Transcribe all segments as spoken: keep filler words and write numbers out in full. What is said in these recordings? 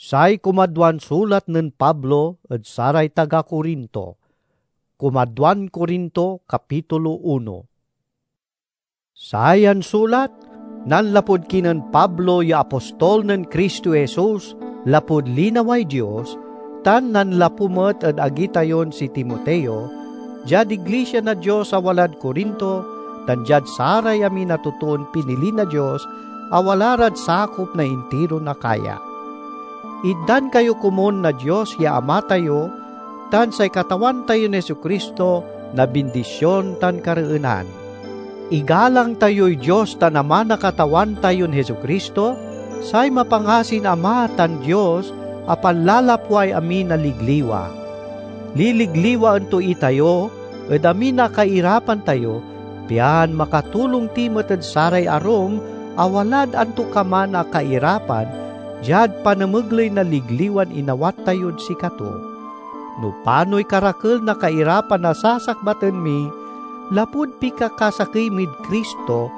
Say kumadwan sulat nen Pablo ed saray taga Corinto. Kumadwan Corinto, kapitulo uno. Sayan sulat, nanlapud kinen Pablo ya apostol nen Cristo Jesus lapud linaway Dios, tan nanlapu met ed agi tayon si Timoteo, diad iglisia na Dios a walad Corinto, tan diad saray amin a totoon pinili na Dios a wala rad sakop na intiron Acaya. Itdan kayo komun na Dios ya Ama tayo, tan say Katawan tayon Jesu-Cristo na bindision tan kareenan. Igalang tayoy Dios tan Ama na Katawan tayon Jesu-Cristo, say mapangasin Ama tan Dios a panlalapway amin a ligliwa. Liligliwaen to itayo ed amin a kairapan tayo, pian makatulong ti met ed saray arum a walad antokaman a kairapan diad panamegley na ligliwan inawat tayod sikato. No panoy karakel na kairapan a sasakbaten mi lapud pikakasakey mid Cristo,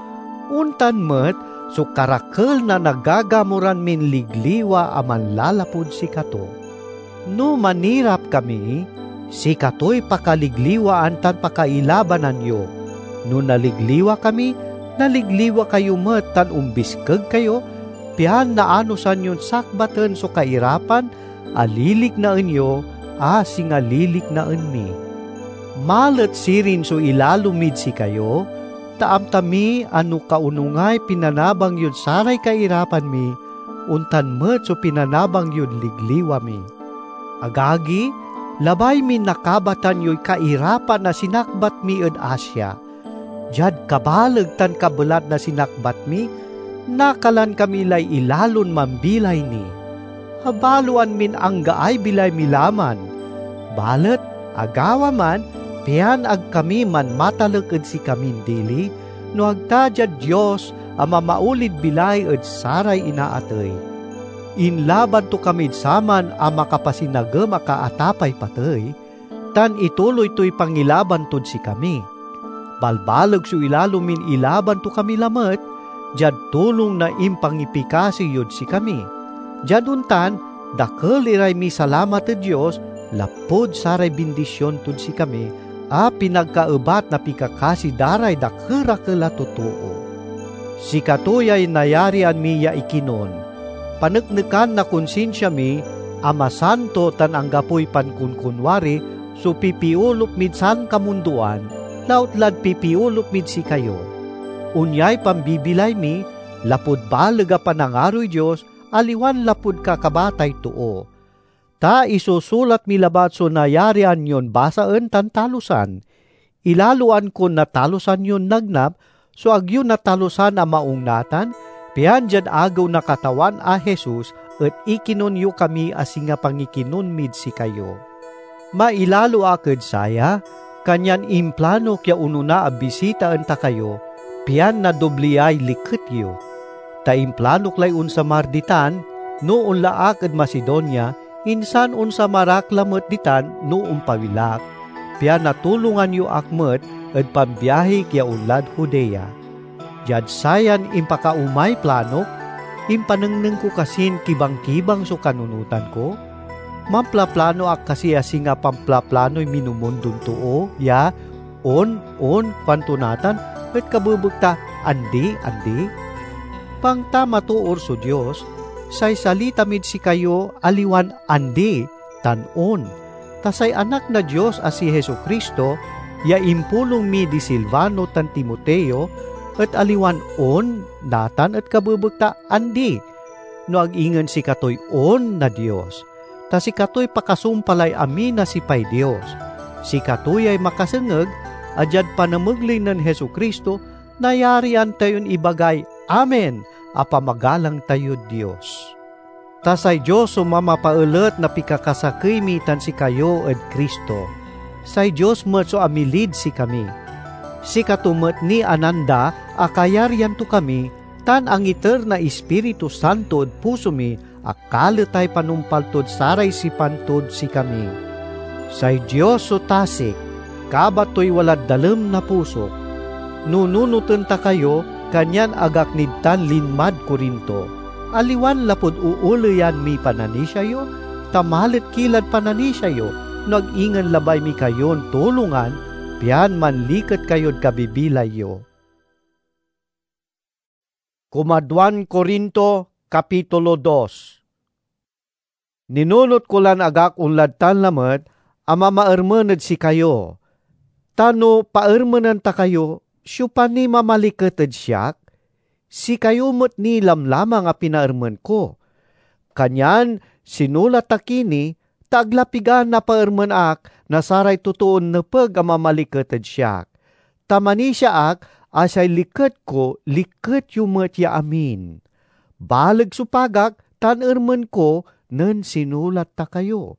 ontan met so karakel na nagagamuran min ligliwa a manlalapud sikato. No manirap kami, sikatoy pakaligliwaan tan pakailabanan yo. No naligliwa kami, naligliwa kayo met tan ombiskeg kayo, pian naanosan yon sakbaten so kairapan a liliknaen yo, a singa liliknaen mi. Malet sirin so ilalo mid sikayo, ta amta mi a no kaonungay pinanabang yod saray kairapan mi, ontan met so pinanabang yod ligliwa mi. Agagi, labay min nakabatan yoy kairapan a sinakbat mi ed Asia. Diad kabaleg tan kabelat na sinakbat mi, nakalan kami lay ilalon mambilay ni. Abaloan min anggaay bilay mi la man. Balet agawa man, pian ag kami manmatalek ed sikamin dili, no ag ta diad Dios a mamaolid bilay ed saray inaatey. Inlaban to kamid saman a makapasinagem a kaatapay patey, tan ituloy toy pangilaban tod sikami. Balbaleg so ilalo min ilaban to kami lamet, diad tulong na impangipikasi yod sikami. Diad ontan, dakel iray misalamat ed Dios lapud saray bindision tod sikami a pinagkaebat na pikakasi da ray dakerakel a totoo. Sikato yay nayarian mi ya ikinon, paneknekan na konsinsia mi a masanto tan anggapoy pankonkonwari so pipiolop mid sankamundoan, lautlad pipiolop mid sikayo. Onyay pambibilay mi lapud baleg a panangaroy Dios, aliwan lapud kakabatay too. Ta isusulat mi labat so nayarian yon basaen tan talusan. Ilaloan kon natalusan yon nagnap so ag yo natalusan a maung natan, pian diad agew na Katawan a Jesus et ikinon yo kami a singa pangikinon mid sikayo. Mailalo ak ed saya, kanyan implanok ya onona a bisitaen ta kayo, pian nadobliay liket yo. Ta implanok lay onsamar ditan, no onla ak ed Macedonia, insan onsamar ak lamet ditan no ompawil ak, pian natulongan yo ak met ed pambiahik ya onlad Judea. Diad sayan impakaomay planok, impanengneng ko kasin kibangkibang so kanunotan ko? Mamplaplano ak kasi a singa pamplaplanoy minumundon too ya, "On, on," kuanto natan, et kabebekta, "Andi, andi"? Pangta matoor so Dios, say salita mid sikayo aliwan "Andi" tan "On." Ta say Anak na Dios a si Jesu-Cristo, ya impulong mi di Silvano tan Timoteo, et aliwan "On" natan et kabebekta, "Andi," no ag ingen sikatoy "On" na Dios. Ta sikatoy pakasumpalay amin a sipay Dios. Sikato yay makasengeg a diad panamegley nen Jesu-Cristo, nayarian tayon ibagay "Amen" a pamagalang tayod Dios. Ta say Dios so mamapaelet na pikakasakey mi tan sikayo ed Cristo. Say Dios met so amilid sikami. Sikato met ni a nanda a kayaryan to kami, tan angiter na Ispiritu Santo ed puso mi a kaletay panumpal tod saray sipan tod sikami. Say Dios so tasik, kabat toy walad dalem na pusok. Nununoten ta kayo, kanyan ag ak nid tan linmad Corinto. Aliwan lapud ooleyan miy pananisia yo, ta malet ki lad pananisia yo, no ag ingen labay mi kayon tulongan, pian manliket kayod kabibilay yo. Kumaduan Corinto, Kapitulo dos. Ninunot ko lan agak onlad tan lamet a mamaermen ed sikayo. Ta no paermenen ta kayo, siopa ni mamaliket ed siak? Sikayo met ni lamlamang a pinaermen ko. Kanyan sinulat ta ki ni, ta ag la pigan napaermen ak na saray totoon nepeg a mamaliket ed siak. Ta manisia ak a say liket ko, liket yo met ya amin. Baleg so pagak tan ermen ko nen sinulat ta kayo.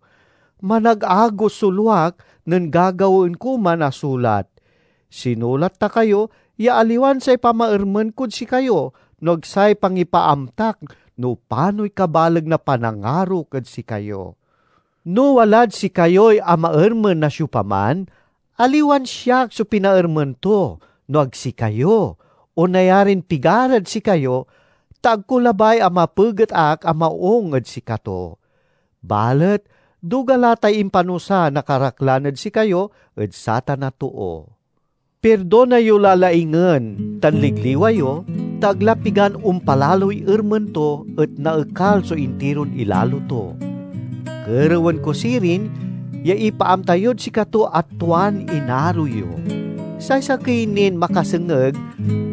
Managagos so luak nen gagawaen ko man a sulat. Sinulat ta kayo ya aliwan say pamaermen kod sikayo, no ag say pangipaamtak no panoy kabaleg na panangarok ed sikayo. No walad sikayoy amaermen na siopaman, aliwan siak so pinaermen to, no ag sikayo, o nayarin pigarad sikayo, ta ag ko labay a mapeget ak a maung ed sikato. Balet duga la tay impanusa na karaklan ed sikayo ed satan a too. Pirdona yo la laingen tan ligliwa yo, ta ag la pigan ompalaloy ermen to et naekal so intiron ilalo to. Kerewen ko sirin ya ipaamta yod sikato a tuan inaro yo. Say sakey nin makasengeg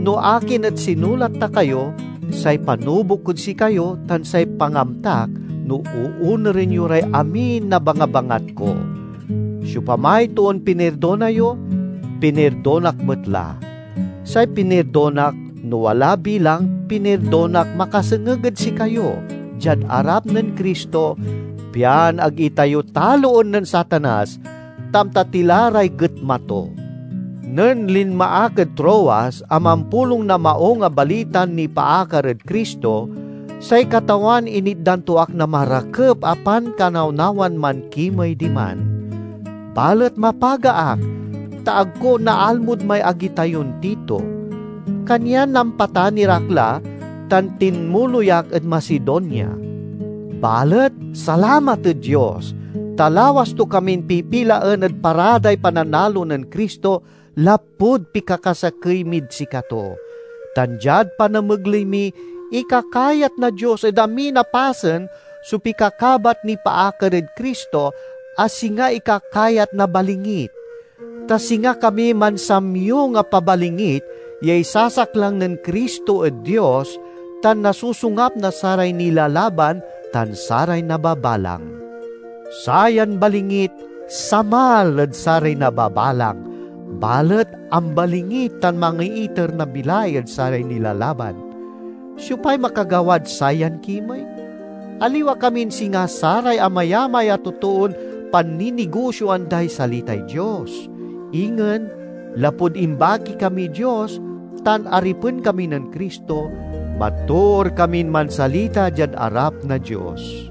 no akin et sinulat ta kayo, say panubok kod sikayo tan say pangamtak no oonuren yo ray amin a bangabangat ko. Siopamay toon pinirdona yo, pinirdonak met la. Say pinirdonak, no wala bilang, pinirdonak makasengeg ed sikayo, diad arap nen Cristo, pian ag itayo taloen nen Satanas, ta amta ti la ray getma to. Nen linma ak ed Troas a mampulong na Maung a Balitan nipaakar ed Cristo, say Katawan initdan to ak na marakep a pankanawnawan mankimey diman. Balet mapaga ak, ta ag ko naalmod may agi tayon Tito. Kanyan nampatan irak la, tan tinmuloy ak ed Macedonia. Balet salamat ed Dios, ta lawas to kamin pipilaen ed paraday pananalo nen Cristo lapud pikakasakey mid sikato. Tan diad panamegley mi, ikakayat na Dios ed amin a pasen so pikakabat nipaakar ed Cristo a singa ikakayat na balingit. Ta singa kami mansamyong a pabalingit ya isasaklang nen Cristo ed Dios, tan nasusungap na saray nilalaban tan saray nababalang. Sayan balingit samal ed saray nababalang, balet ambalingit tan mangiiter na bilay ed saray nilalaban. Siopay makagawad sayan kimey? Aliwa kamin singa saray amayamay a totoon panninigosyoan day salitay Dios. Ingen, lapud imbaki kamiy Dios tan aripen kami nen Cristo, matoor kamin mansalita diad arap na Dios.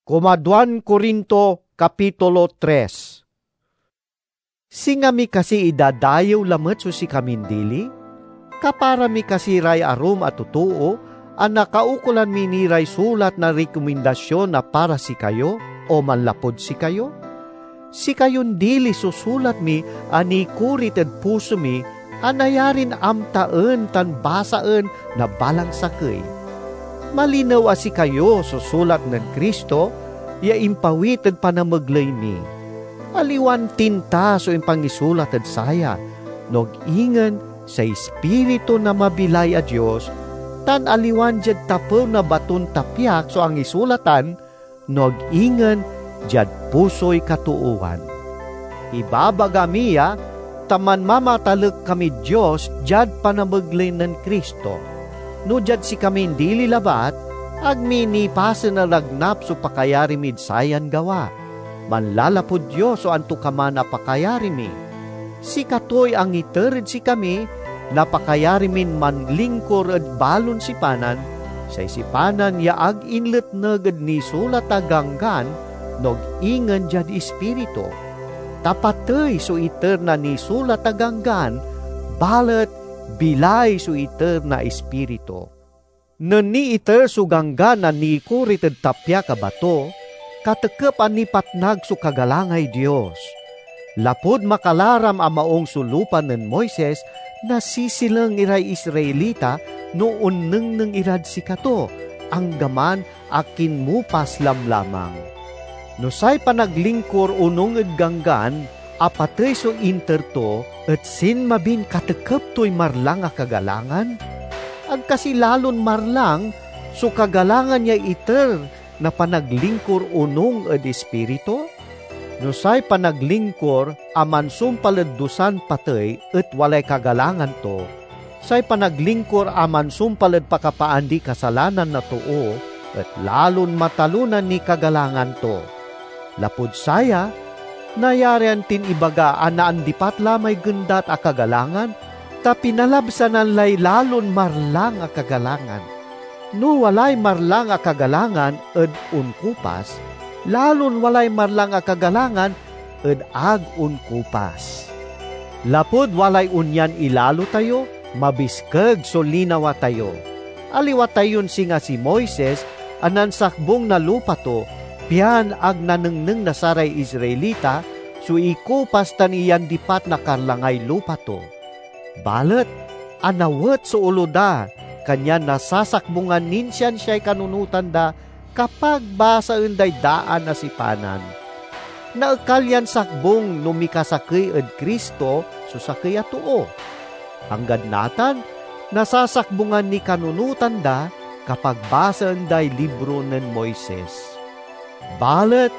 Kumaduan Corinto, Kapitulo tres. Singa mi kasi idadayew lamet so sikamin dili? Kapara mi kasi ray arum a totoo a nakaukolan mi ni ray sulat na rekomendasion a para sikayo o manlapud sikayo? Sikayon dili so sulat mi a nikorit ed puso mi a nayarin amtaen tan basaen na balang sakey. Malinew a sikayo so sulat nen Cristo ya impawit ed panamegley mi. Aliwan tinta so impangisulat ed saya, no ag ingen say Ispiritu na mabilay a Dios, tan aliwan diad tapew na baton tapiak so angisulatan, no ag ingen diad pusoy katoowan. Ibabaga mi ya, ta manmamatalek kamid Dios diad panamegley nen Cristo. No diad sikamin dili labat, ag mi nipasen a nagnap so pakayari mid sayan gawa. Manlalapud Dios so antokaman a pakayari mi. Sikatoy angiter ed sikami na pakayari min manlingkor ed balon sipanan, say sipanan ya ag inletneg ed nisulat a ganggan, no ag ingen diad Ispiritu. Ta patey so iter na nisulat a ganggan, balet bilay so iter na Ispiritu. Nen niiter so Ganggan a nikorit ed tapyak a bato, katekep a nipatnag so kagalangay Dios. Lapud makalaram a maung so lupa nen Moises, nasisileng iray Israelita no onnengneng irad sikato, anggaman a kinmupas lamlamang. No say panaglingkur onung ed Ganggan a patey so inter to et sinmabin katekep toy marlang a kagalangan? Ag kasi lalon marlang so kagalangan ya iter na panaglingkur onung ed Ispiritu? No say panaglingkur a mansumpal ed dusan patey et walay kagalangan to, say panaglingkur a mansumpal ed pakapaandi kasalanan na too et lalon matalonan niy kagalangan to. Lapud saya, nayarian tin ibaga a naandipat la may gendat a kagalangan, ta pinalabsanan lay lalon marlang a kagalangan. No walay marlang a kagalangan ed onkupas, lalon walay marlang a kagalangan ed ag onkupas. Lapud walay onyan ilalo tayo, mabiskeg so linawa tayo. Aliwa tayon singa si Moises a nansakbong na lupa to, pian ag nanengneng na saray Israelita so ikupas tan iyandipat na karlangay lupa to. Balet anawet so olo da, kanyan nasasakbungan nin siansiay kanunotan da kapag basaen day daan a sipanan. Naekal yan sakbong no mikasakey ed Cristo so sakey a too. Anggad natan, nasasakbungan niy kanunotan da kapag basaen day libro nen Moises. Balet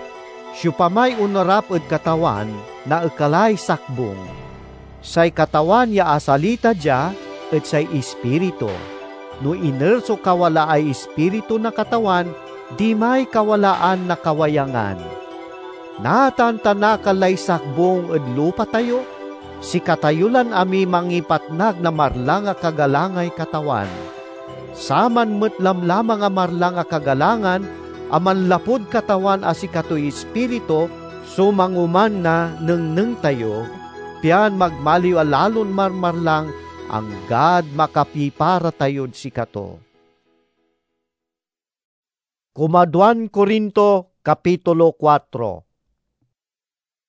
siopamay onarap ed Katawan, naekalay sakbong. Say Katawan ya asalita dia et say Ispiritu. No iner so kawalaay Ispiritu na Katawan, dimay kawalaan na kawayangan. Natan ta nakal lay sakbong ed lupa tayo, sikatayo lan amiy mangipatnag na marlang a kagalangay Katawan. Saman met lamlamang a marlang a kagalangan a manlapud Katawan a sikatoy Ispiritu so mangoman na nengneng tayo, pian magmaliw a lalon marmarlang anggad makapipara tayod sikato. Kumaduan Corinto, Kapitulo kuatro.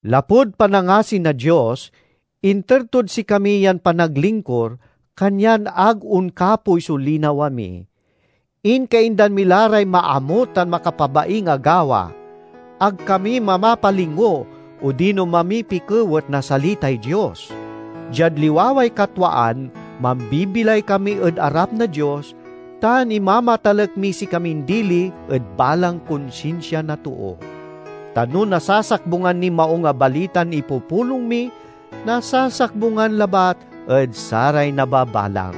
Lapud panangasi na Dios, inter tod sikami yan panaglingkur, kanyan ag onkapoy so linawa mi. Inkaindan mi la ray maamut tan makapabaing a gawa. Ag kami mamapalingo odino mamipikewet na salitay Dios. Diad liwaway katwaan, mambibilay kami ed arap na Dios, tan imamatalek miy sikamin dili ed balang konsinsia na too. Ta no nasasakbungan niy Maung a Balitan ipupulong mi, nasasakbungan labat ed saray nababalang.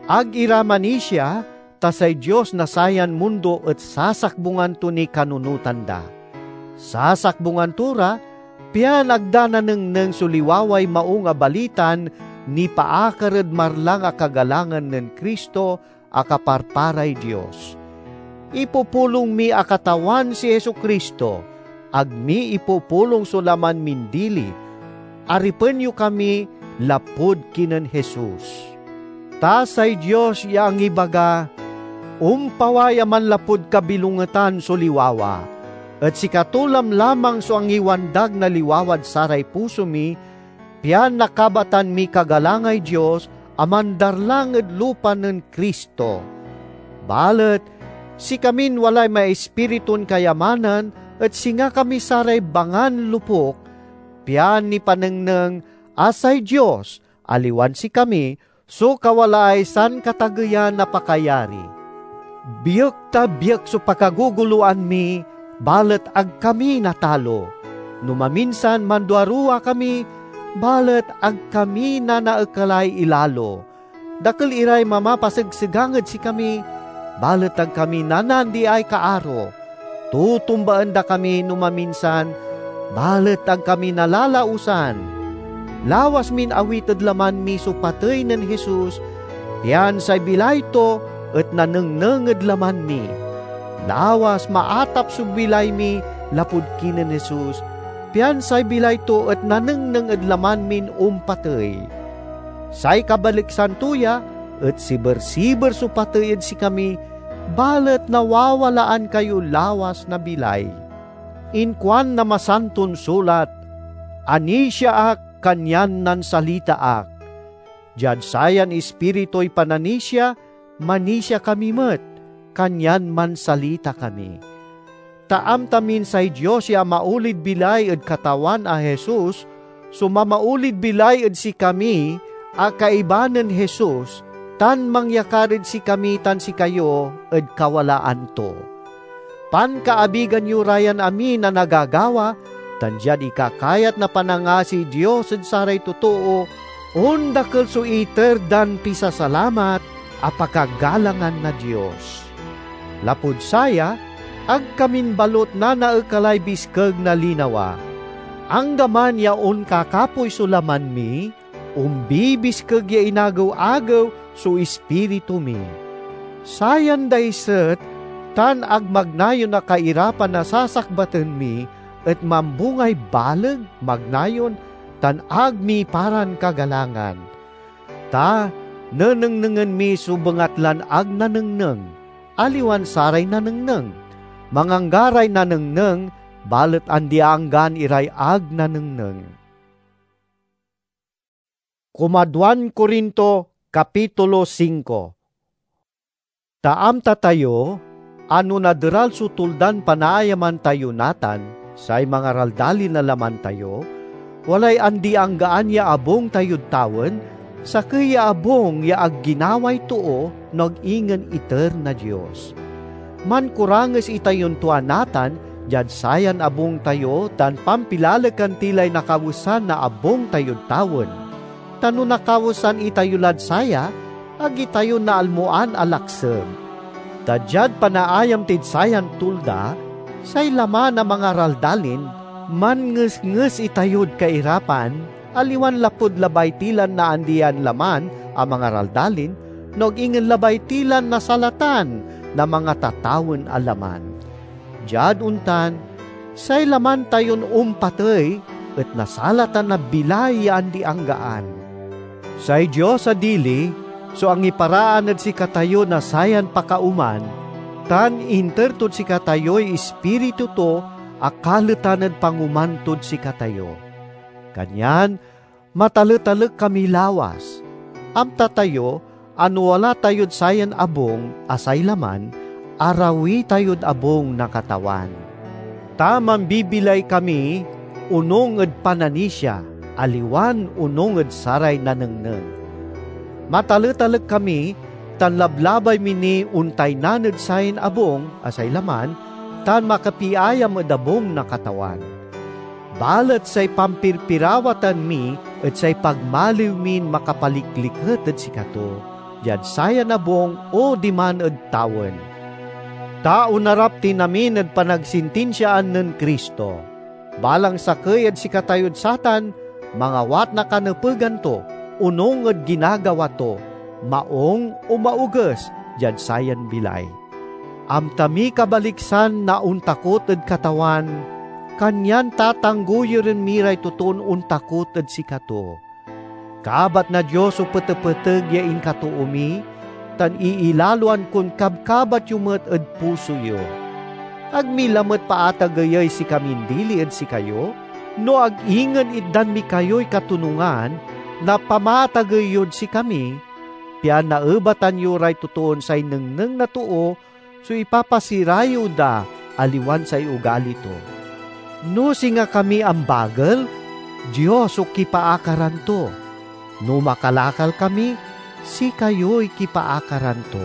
Ag ira manisia, ta say Dios na sayan mundo et sasakbungan to niy kanunotan da. Sasakbungan to ra, pian ag da nanengneng so liwaway Maung a Balitan nipaakar ed marlang a kagalangan nen Cristo a kaparparay Dios. Ipupulong mi a Katawan si Jesu-Cristo, ag mi ipupulong so laman min dili. Aripen yo kami lapud kinen Jesus. Ta say Dios ya angibaga, ompaway a manlapud kabilongetan so liwawa, et sikato lamlamang so angiwandag na liwawad saray puso mi, pian nakabatan miy kagalangay Dios a mandarlang ed lupa nen Cristo. Balet sikamin walay maispiritun kayamanan et singa kami saray bangan lupok, pian nipanengneng a say Dios, aliwan sikami, so kawalaay sankatageyan a pakayari. Biek ta biek so pakagogoloan mi, balet ag kami natalo. No maminsan manduaruwa kami, balet ag kami nanaekalay ilalo. Dakel iray mamapasegsegang ed sikami, balet ag kami nanandiay kaaro. Totombaen da kami no maminsan, balet ag kami nalalaosan. Lawas min awit ed laman mi so patey nen Jesus, pian say bilay to et nanengneng ed laman mi. Lawas maatap so bilay mi lapud kinen Jesus, pian say bilay to et nanengneng ed laman min ompatey. Say kabaliksan to ya, et sibersiber so patey ed sikami, balet nawawalaan kayo lawas na bilay. Inkuan na Masanton Sulat, "Anisia ak, kanyan nansalita ak." Diad sayan Ispirituy pananisia, manisia kami met, kanyan mansalita kami. Ta amta min say Dios ya amaulid bilay ed Katawan a Jesus so mamaulid bilay ed sikami a kaiba nen Jesus, tan mangyakar ed sikami tan sikayo ed kawalaan to. Pankaabigan yo ra yan amin a nagagawa, tan diad ikakayat na panangasiy Dios ed saray totoo, ondakel so iter dan pisasalamat a pakagalangan na Dios. Lapud saya, ag kamin balut nanaekalay biskeg na linawa. Anggaman ya onkakapoy so laman mi, ombibiskeg ya inagew-agew so ispiritu mi. Sayan daiset tan agmagnayon a kairapan a sasakbaten mi et mambungay baleg, magnayon, tan ag miparan kagalangan. Ta nenengnengen mi so bengatlan ag nanengneng, aliwan saray nanengneng. Manganggaray nanengneng, balet andi-anggaan iray ag nanengneng. Kumaduan Corinto, Kapitulo singko. Ta amta tayo a no naderal so tuldan panaayaman tayo natan, say mangaraldalin a laman tayo, walay andi-anggaan ya abung tayod tawen, sakey ya abung ya ag ginaway too, no ag ingen iter na Dios. Mankuranges itayon tua natan diad sayan abung tayo tan pampilalekan ti lay nakawesan na abung tayod tawen. Ta no nakawesan itayo lad saya, ag itayo naalmoan a lakseb. Ta diad panaayam tid sayan tulda, say laman a mangaraldalin, manngesnges itayod kairapan, aliwan lapud labay ti lan naandian laman a mangaraldalin, no ag ingen labay ti lan nasalatan na mangatatawen a laman. Diad ontan, say laman tayon ompatey et nasalatan na bilay ya andi-anggaan. Say Dios a dili so angiparaan ed sikatayo na sayan pakaoman, tan inter tod sikatayoy Ispiritu to a kaletan ed pangoman tod sikatayo. Kanyan mataletalek kami lawas. Amta tayo a no wala tayod sayan abung a say laman, arawi tayod abung na Katawan. Ta mambibilay kami onung ed pananisia, aliwan onung ed saray nanengneng. Mataletalek kami tan lablabay mi ni ontaynan ed sayan abung a say laman, tan makapiayam ed abung na Katawan. Balet say pampirpirawatan mi et say pagmaliw min makapalikliket ed sikato, diad sayan abung o diman ed tawen. Ta onarap tin amin ed panagsintinsiaan nen Cristo. Balang sakey ed sikatayod satan mangawat na kanepegan to, onung ed ginagawa to, maung o maoges, diad sayan bilay. Amta mi kabaliksan na ontakot ed Katawan, kanyan tatanggoyuren mi ray totoon ontakot ed sikato. Kabat na Dios so petepeteg ya inkatoo mi, tan iilaloan kon kabkabat yo met ed puso yo. Ag mi lamet paatageyey sikamin dili ed sikayo, no ag ingen itdan mi kayoy katonungan na pamatagey yod sikami, pian naebatan yo ray totoon say nengneng na too so ipapasirayew da, aliwan say ugali to. No singa kami ambagel, Dios so kipaakaran to. No makalakal kami, sikayoy kipaakaran to.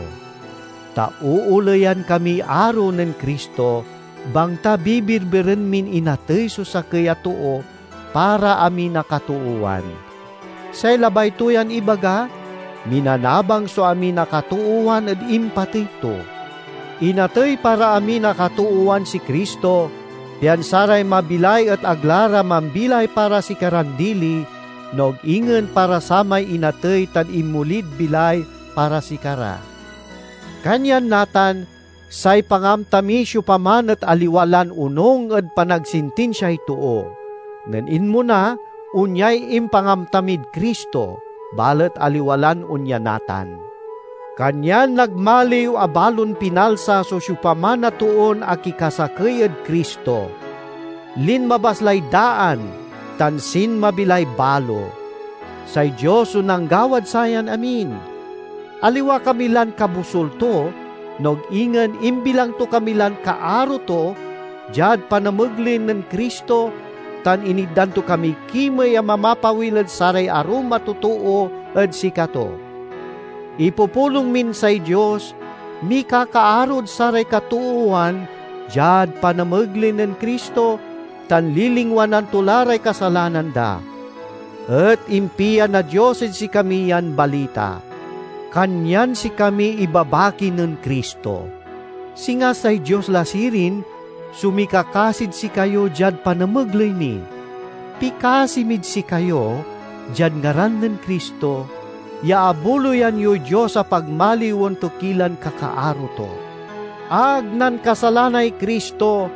Ta ooleyan kamiy aro nen Cristo, bangta bibirbiren min inatey so sakey a too para amin a katoowan. Say labay to yan ibaga, minanabang so amin a katoowan ed impatey to. Inatey para amin a katoowan si Cristo, pian saray mabilay et ag la ra mambilay para sikaran dili, no ag ingen para samay inatey tan inmolid bilay para sikara. Kanyan natan, say pangamta mi siopaman et aliwa lan onung ed panagsintinsiay too. Nen inmona, onyay impangamta mid Cristo, balet aliwa lan onya natan. Kanyan nagmaliw a balon pinalsa so siopaman a toon akikasakey ed Cristo. Linmabas lay daan tan sinmabi lay balo. Say Dios so nanggawad sayan amin. Aliwa kami lan kabusol to, no ag ingen imbilang to kami lan kaaro to diad panamegley nen Cristo, tan initdan to kamiy kimey a mamapawil ed saray arum a totoo ed sikato. Ipupulong min say Dios, mikakaarod saray katoowan diad panamegley nen Cristo, tan lilingwanan to la ray kasalanan da. Et impia na Dios ed sikami yan balita, kanyan sikami ibabaki nen Cristo. Singa say Dios la sirin so mikakasid sikayo diad panamegley mi. Pikasi mid sikayo, diad ngaran nen Cristo, ya abuloyan yoy Dios a pagmaliwen to ki lan kakaaro to. Ag nankasalanay Cristo,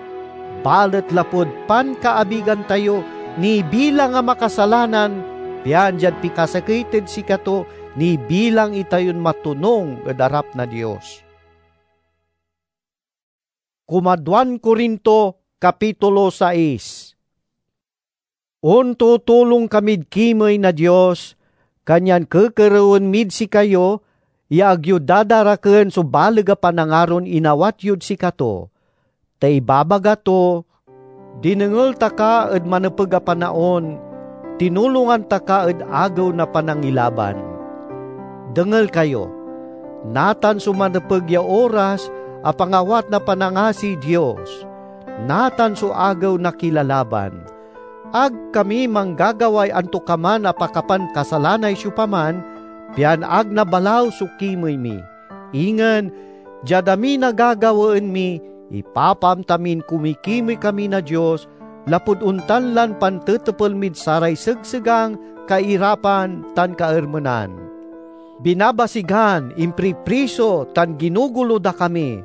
balet lapud pankaabigan tayo, nibilang a makasalanan, pian diad pikasakey tod sikato, nibilang itayon matonung ed arap na Dios. Kumaduan Corinto, Kapitulo sais. Ontutulong kamid kimey na Dios, kanyan kekerewen mid sikayo ya ag yo dadaraken so baleg a panangaron inawat yod sikato. Ta ibabaga to, "Dinengel ta ka ed manepeg a panaon, tinulongan ta ka ed agew na panangilaban." Dengel kayo, natan so manepeg ya oras a pangawat na panangasiy Dios. Natan so agew na kilalaban. Ag kami manggagaway antokaman a pakapankasalanay siopaman, pian ag nabalaw so kimey mi. Ingen, diad amin a gagawaen mi, ipapaamta min kumikimey kami na Dios, lapud ontan lan pantetepel mid saray segsegang, kairapan, tan kaermenan. Binabasigan, impripriso, tan ginugulo da kami.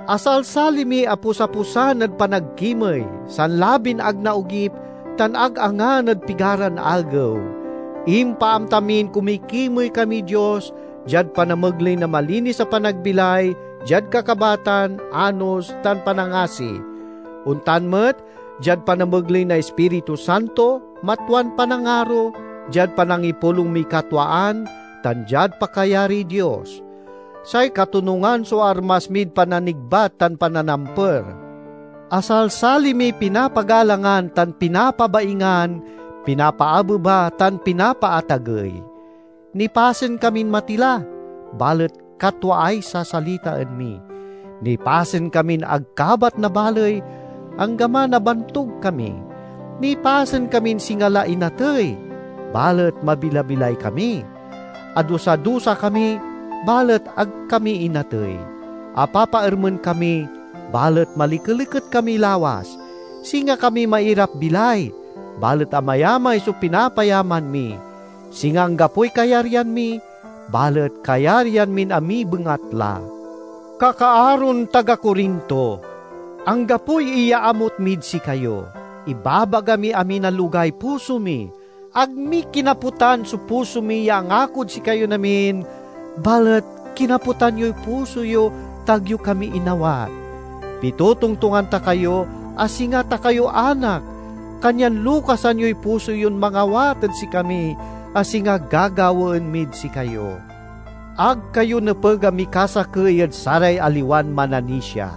Asalsali mi a pusapusan ed panagkimey, sanlabin ag naogip, tan ag angan ed pigaran agew. Impaamta min kumikimey kamiy Dios diad panamegley na malinis a panagbilay, diad kakabatan, anos, tan panangasi. Ontan met, diad panamegley na Ispiritu Santo, matuan panangaro, diad panangipulong miy katwaan, tan diad pakayariy Dios. Say katonungan so armas mid pananigbat tan pananamper. Asalsali miy pinapagalangan tan pinapabaingan, pinapaabeba tan pinapaatagey. Nipasen kamin matila, balet katwaay sasalitaen mi. Nipasen kamin ag kabat na baley, anggaman a bantog kami. Nipasen kamin singa la inatey, balet mabilabilay kami. Adusa-dusa kami, balet ag kami inatey. Apapaermen kami, balet malikeliket kami lawas. Singa kami mairap-bilay, balet amayamay so pinapayaman mi. Singa anggapoy kayaryan mi, balet kayaryan min amibengat la. Kakaaron taga Corinto, anggapoy iyaamut mid sikayo. Ibabaga miy amin a lugay puso mi. Ag mi kinapotan so puso mi ya angakod sikayon amin, balet kinapotan yoy puso yo ta ag yo kami inawat. Pitotongtongan ta kayo a singa ta kayo anak, kanyan lukasan yoy puso yon mangawat ed sikami a singa gagawaen mid sikayo. Ag kayo nepeg a mikasakey ed saray aliwan mananisia.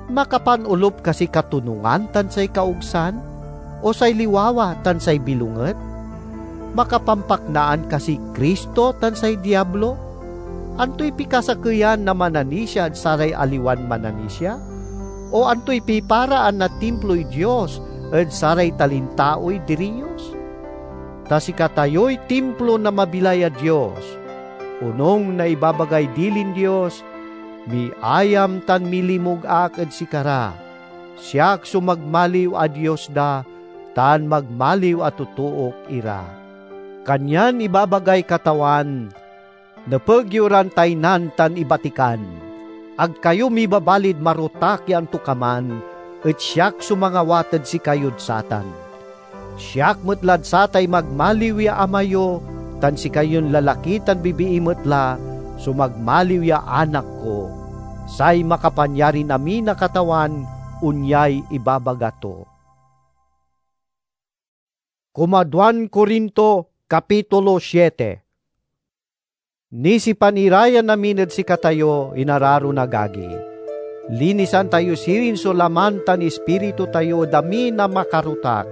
Makapanolup kasi katonungan tan say kaogsan, o say liwawa tan say bilonget? Makapampaknaan kasiy Cristo tan say Diablo? Antoy pikasakeyan na mananisia ed saray aliwan mananisia? O antoy piparaan na timploy Dios ed saray talintaoy diriyos? Ta sikatayoy timplo na mabilay a Dios. Onung na ibabagay dilin Dios, "Miayam tan milimug ak ed sikara. Siak so magmaliw a Dios da, tan magmaliw a totook ira." Kanyan ibabagay Katawan, "Nepeg yo ran taynan tan ibatikan. Ag kayo mibabalid marotak ya antokaman, et siak so mangawat ed sikayod satan. Siak met lad satay magmaliw ya ama yo, tan sikayon lalaki tan bibii met la, so magmaliw ya anak ko. Say Makapanyarin amin a Katawan onyay ibabaga to. Kumaduan Corinto, Kapitulo siete. Nisipan ira yan amin ed sikatayo, inararon agagi. Linisan tayo sirin so laman tan ispiritu tayo ed amin a makarutak.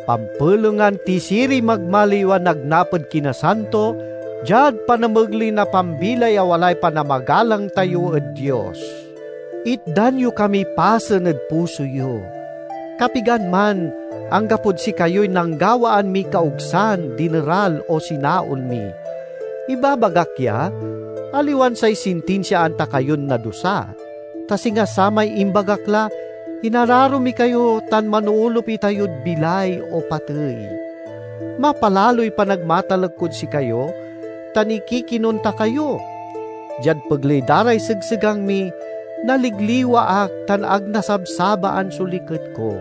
Pampelengan ti siriy magmaliw a nagnap ed kinasanto, diad panamegley na pambilay a walay panamagalang tayo ed Dios. Itdan yo kamiy pasen ed puso yo. Kapigan man, anggapod sikayoy nanggawaan miy kaogsan, dineral, o sinaol mi. Ibabagak ya, aliwan say sintinsiaan ta kayon nadusa, ta singa samay imbagak la, inararo mi kayo tan manoolop itayod bilay o patey. Mapalaloy panagmatalek kod sikayo, tan ikikinonta kayo. Diad pegley da ray segsegang mi, naligliwa ak tan ag nasabsabaan so liket ko.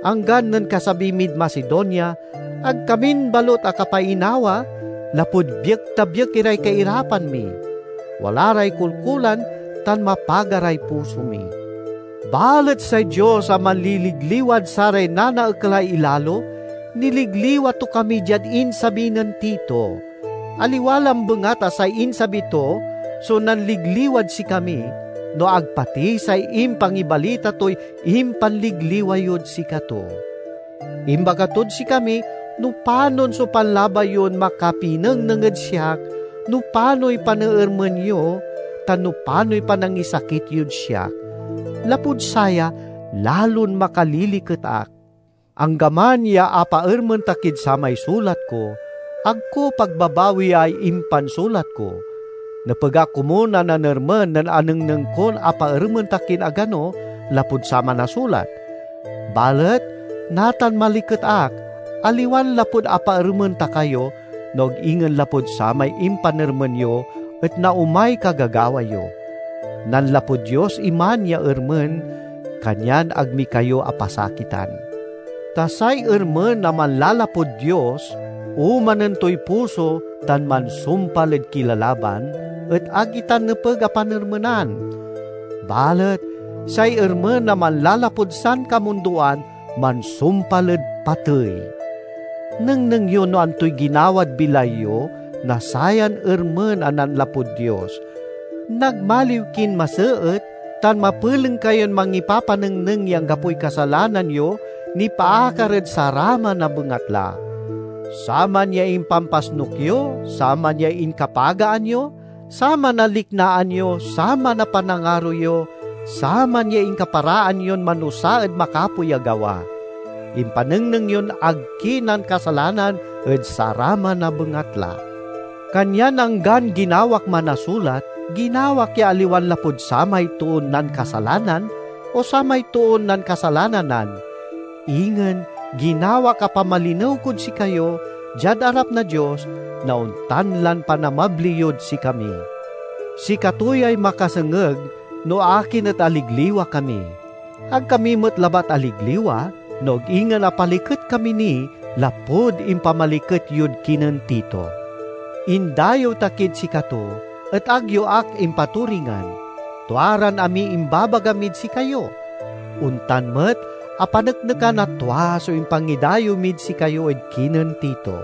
Anggan nen kasabi mid Macedonia, ag kamin balut akapainawa, lapud biek ta biek iray kairapan mi. Wala ray kolkolan tan mapaga ray puso mi. Balet say Dios a manliligliwad saray nanaekelay ilalo, niligliwa to kami diad insabi nen Tito. Aliwa lambengat a say insabi to so nanligliwad sikami, no ag pati say impangibalita toy impanligliwa yod sikato. Imbaga tod sikami no panon so panlabay yon makapinengneng ed siak, no panoy paneermen yo, tan no panoy panangisakit yod siak. Lapud saya, lalon makaliliket ak. Anggaman ya apaermen ta kid samay sulat ko, ag ko pagbabawiay impansulat ko. Nepeg ak komun a nanermen nen anengneng kon apaermen ta kin agano lapud saman a sulat. Balet natan maliket ak, aliwan lapud apaermen ta kayo, no ag ingen lapud samay impanermen yo et naomay kagagawa yo. Nanlapud Dios iman ya ermen, kanyan ag mi kayo apasakitan. Ta say ermen a manlalapud Dios, omanen toy puso tan mansumpal ed kilalaban, et ag itan nepeg a panermenan. Balet say ermen a manlalapud sankamundoan mansumpal ed patey. Nengneng yo no antoy ginawad bilay yo na sayan ermen a nanlapud Dios. Nagmaliw kin maseet tan mapeleng kayon mangipapanengneng ya anggapoy kasalanan yo nipaakar ed saraman a bengatla. Saman ya impampasnok yo, saman ya inkapagaan yo, saman a liknaan yo, saman a panangaro yo, saman ya inkaparaan yon manusa ed makapoy a gawa. Impanengneng yon ag ki nankasalanan ed saraman a bengatla. Kanyan anggan ginawak manasulat, ginawak ya aliwan lapud samay toon nankasalanan o samay toon nankasalananan. Ingen ginawak a pamalinew kod sikayo diad arap na Dios, na ontan lan panamabli yod sikami. Sikato yay makasengeg no akin et aligliwa kami. Ag kami met labat aligliwa, no ag ingen apaliket kami ni lapud impamaliket yod kinen Tito. Indayew ta kid sikato, et ag yo ak impaturingan. Tua ran amiy imbabaga mid sikayo. Ontan met, apaneknekan a tua so impangidayew mid sikayo ed kinen Tito.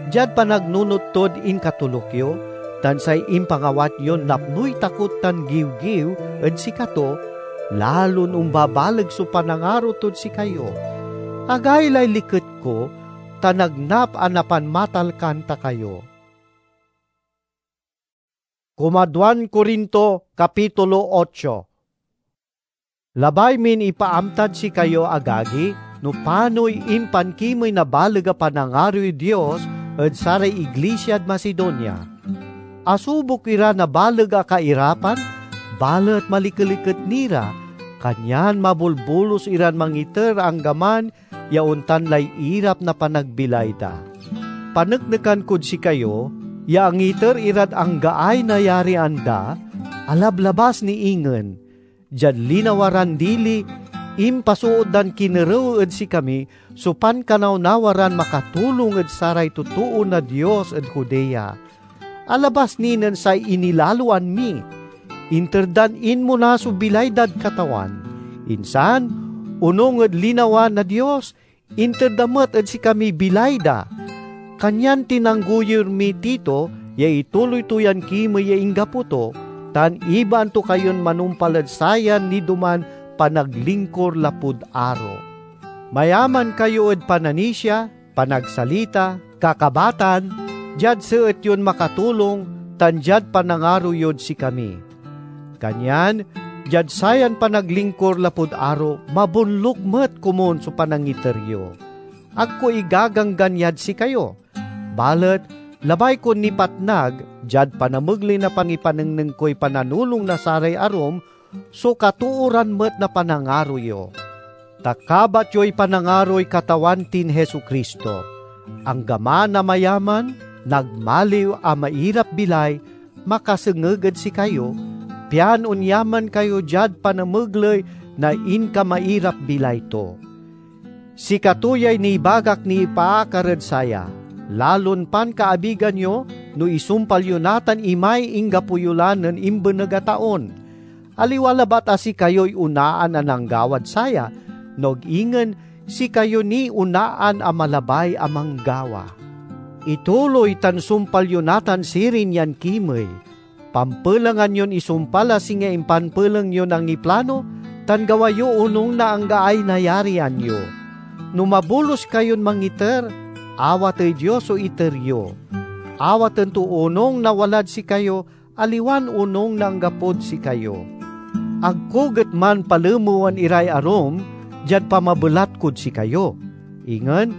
Diad panagnunot tod inkatoluk yo, tan say impangawat yon napnoy takot tan giwgiw ed sikato, lalon ombabaleg so panangaro tod sikayo. Agaylay liket ko, ta nagnap a napanmatalkan ta kayo. Kumaduan Corinto, Kapitulo ocho. Labay min ipaamtad sikayo, agagi, no panoy impankimey na baleg a panangaroy Dios ed saray iglisiad Macedonia. Asubok ira na baleg a kairapan, balet malikeliket ni ra, kanyan mabolbolos iran mangiter anggaman ya ontan lay irap na panagbilay da. Paneknekan kod sikayo ya angiter irad anggaay nayarian da, alablabas ni ingen. Diad linawa ran dili, impasoot dan kinerew ed sikami so pankanawnawa ran makatulong ed saray totoo na Dios ed Judea. alabas ni nen say inilaloan mi. Inter dan inmona so bilay dad Katawan. Insan, onung ed linawa na Dios, inter da met ed sikamiy bilay da. Kanyan tinanggoyur miy Tito ya ituloy to yan kimey ya inggapo to, tan ibaan to kayon manumpal ed sayan nidoman panaglingkur lapud aro. Mayaman kayo ed pananisia, panagsalita, kakabatan, diad seet yon makatulong, tan diad panangaro yod sikami. Kanyan, diad sayan panaglingkur lapud aro, mabonluk met komun so panangiter yo. Ag ko igaganggan yad sikayo. Balet, labay kon nipatnag, diad panamegley na pangipanengneng koy pananulong na saray arum, so katooran met na panangaro yo. Ta kabat yoy panangaroy Katawan tin Jesu-Cristo. Anggaman a mayaman, nagmaliw a mairap-bilay, makasengeg ed sikayo, pian onyaman kayo diad panamegley na inkamairap-bilay to. Sikato yay nibagak nipaakar ed saya, lalon pankaabigan yo no isumpal yo natan imay inggapo yo la nen imbeneg a taon. Aliwa labat a sikayoy onaan a nanggawad saya, no ag ingen sikayo ni onaan a malabay a manggawa. Ituloy tan sumpal yo natan sirin yan kimey. Pampelengan yon isumpal a singa impanpeleng yon angiplano, tan gawa yo onung na anggaay nayarian yo. No mabolus kayon mangiter, awatey Dios so iter yo. Awaten to onung na walad sikayo, aliwan onung na anggapod sikayo. Ag ko getman palemewen iray arum diad pamabelat kod sikayo. Ingen,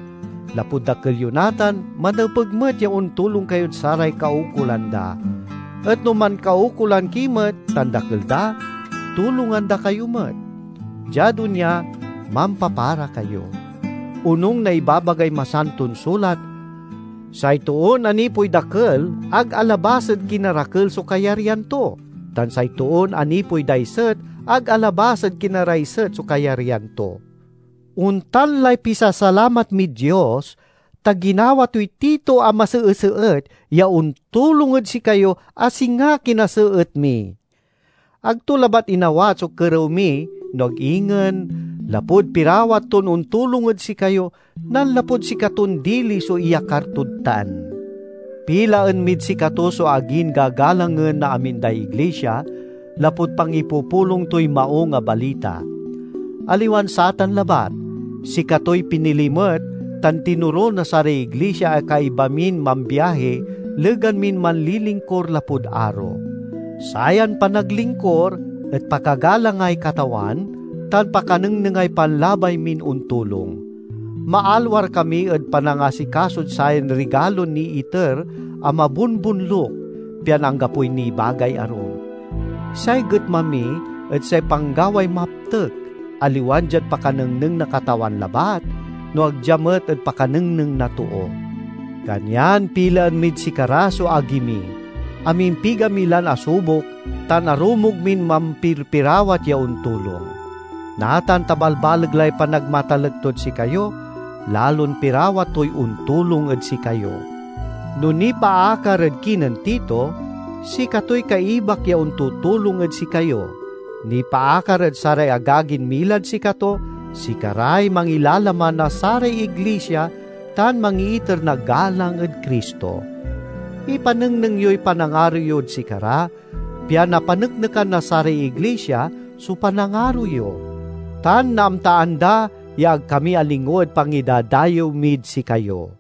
lapud dakel yo natan, manepeg met ya ontulong kayod saray kaukolan da. Et no mankaukolan ki met tan dakel da, tulongan da kayo met. Diad onya, mampapara kayo. Onung na ibabagay Masanton Sulat, "Say toon anipoy dakel ag alabas ed kinarakel so kayaryan to, tan say toon anipoy daiset ag alabas ed kinaraiset so kayaryan to." Ontan lay pisasalamat mid Dios, ta ginawa toy Tito a maseeseet ya ontulong ed sikayo a singa kinaseet mi. Ag to labat inawat so kerew mi, no ag ingen lapud pirawat ton ontulong ed sikayo, nanlapud sikaton dili so iyakar tod tan. Pilaen mid sikato so agin gagalangen na amin day iglisia, lapud pangipupulong toy Maung a Balita. Aliwan satan labat, sikatoy pinili met tan tinoro na saray iglisia a kaiba min mambiahi, legan min manlilingkur lapud aro. Sayan panaglingkur et pakagalangay Katawan tan pakanengnengay panlabay min ontulong. Maalwar kami ed panangasikasod sayan rigalon niiter a mabonbonluk, pian anggapoy nibagay arum. Say getma mi et say panggaway maptek, aliwan diad pakanengneng na Katawan labat, no ag dia met ed pakanengneng na too. Kanyan pilaen mid sikara so agi mi, a mimpiga mi lan asubok, tan arumog min mampirpirawat ya ontulong. Natan ta balbaleg lay panagmatalek tod sikayo, lalon pirawat toy ontulong ed sikayo. No nipaakar ed kinen Tito, sikatoy kaibak ya ontutulong ed sikayo. Nipaakar ed saray agagin milad sikato, sikaray mangilalaman na saray iglisia tan mangiiter na galang ed Cristo. Ipanengneng yoy panangaro yod sikara, pian napaneknekan na saray iglisia so panangaro yo, tan naamtaan da ya ag kami alingo ed pangidadayew mid sikayo.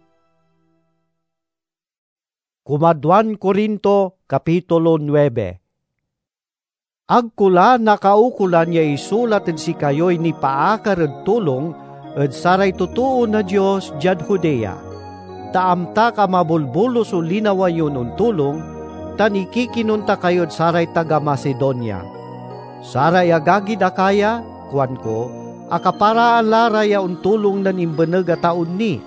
Kumadwan Corinto, Kapitulo nuebe. Ag ko la nakaukolan ya isulat ed sikayoy nipaakar ed tulong ed saray totoo na Dios diad Judea, ta amtak a mabolbolus so linawa yon ontulong, tan ikikinun ta kayod saray taga Macedonia. Saray agagid Acaya, kuanko, akaparaan la ra ya ontulong nen imbeneg a taon ni,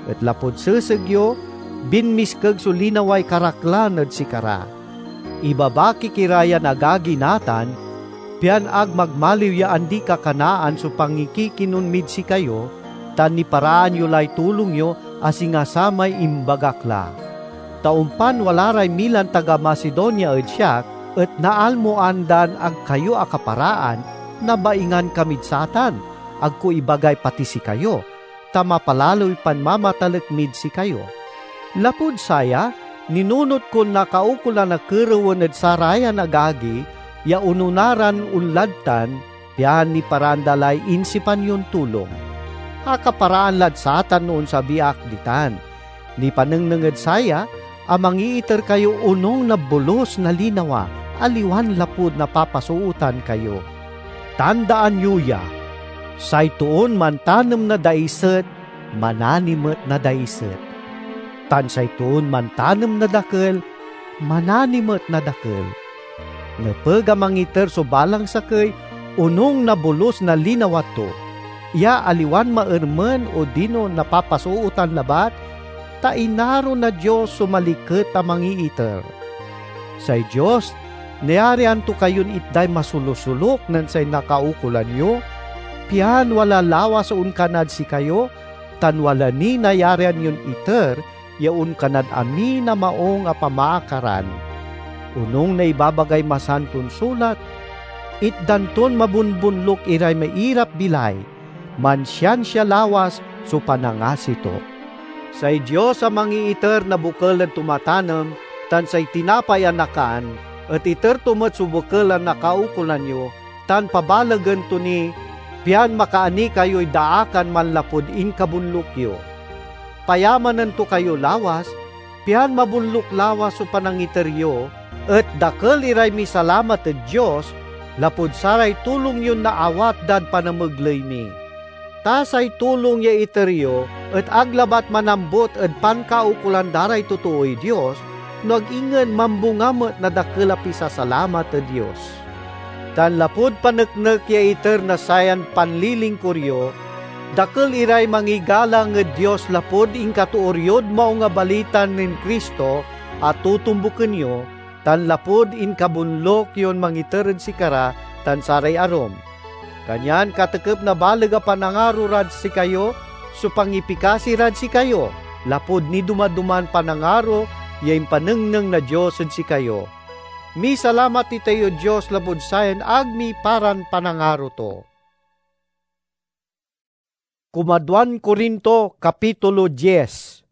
et lapud seseg yo, binmiskeg so linaway karaklan ed sikara. Ibabakik ira yan agagi natan, pian ag magmaliw ya andi-kakanaan so pangikikinun mid sikayo, tan niparaan yo lay tulong yo a singa samay imbagak la. Ta ompan wala ray milan taga Macedonia ed siak, et naalmoan dan ag kayo akaparaan, nabaingan kamid satan, ag ko ibagay pati sikayo, ta mapalaloy panmamatalek mid sikayo. Lapud saya, ninunot kon nakaukolan a kerewen ed sarayan agagi ya onona ran onlad tan, pian niparaan da lay insipan yon tulong. Akaparaan lad satan no onsabi ak ditan. Nipanengneng ed saya a mangiiter kayo onung na bolus na linawa, aliwan lapud napapasootan kayo. Tandaan yo ya, say toon mantanem na daiset, manani met na daiset. Tan say toon mantanem na dakel, manani met na dakel. Nepeg a mangiter so balang sakey onung na bolus na linawa to, ya aliwan maermen odino napapasootan labat, ta inaro na Dios so maliket a mangiiter. Say Dios, nayarian to kayon itday masolosolok nen say nakaukolan yo, pian wala lawas so onkanad sikayo, tan wala ni nayarian yon iter ya onkanad amin a maung a pamaakaran. Onung na ibabagay Masanton Sulat, "Itdan ton mabonbonluk iray mairap-bilay, mansiansia lawas so panangasi to." Say Dios a mangiiter na bokel ed tumatanem tan say tinapay a nakan et iter to met so bokel a nakaukolan yo, tan pabalegen to ni, pian makaani kayoy daakan manlapud inkabonluk yo. Payamanen to kayo lawas, pian mabonluk lawas so panangiter yo, et dakel iray misalamat ed Dios lapud saray tulong yon naawat dad panamegley mi. Ta say tulong ya iter yo et ag labat manambut ed pankaukolan da ray totooy Dios, no ag ingen mambunga met na dakel a pisasalamat ed Dios. Tan lapud paneknek ya iter na sayan panlilingkur yo, dakel iray mangigalang ed Dios lapud inkatoor yod Maung a Balita nen Cristo a totombuken yo, tan lapud inkabonluk yon mangiter ed sikara tan saray arum. Kanyan katekep na baleg a panangaro rad sikayo so pangipikasi rad sikayo, lapud niduma-duman panangaro ya impanengneng na Dios ed sikayo. Misalamat itayod Dios lapud sayan ag miparan panangaro to. Kumaduan Corinto, Kapitulo diez.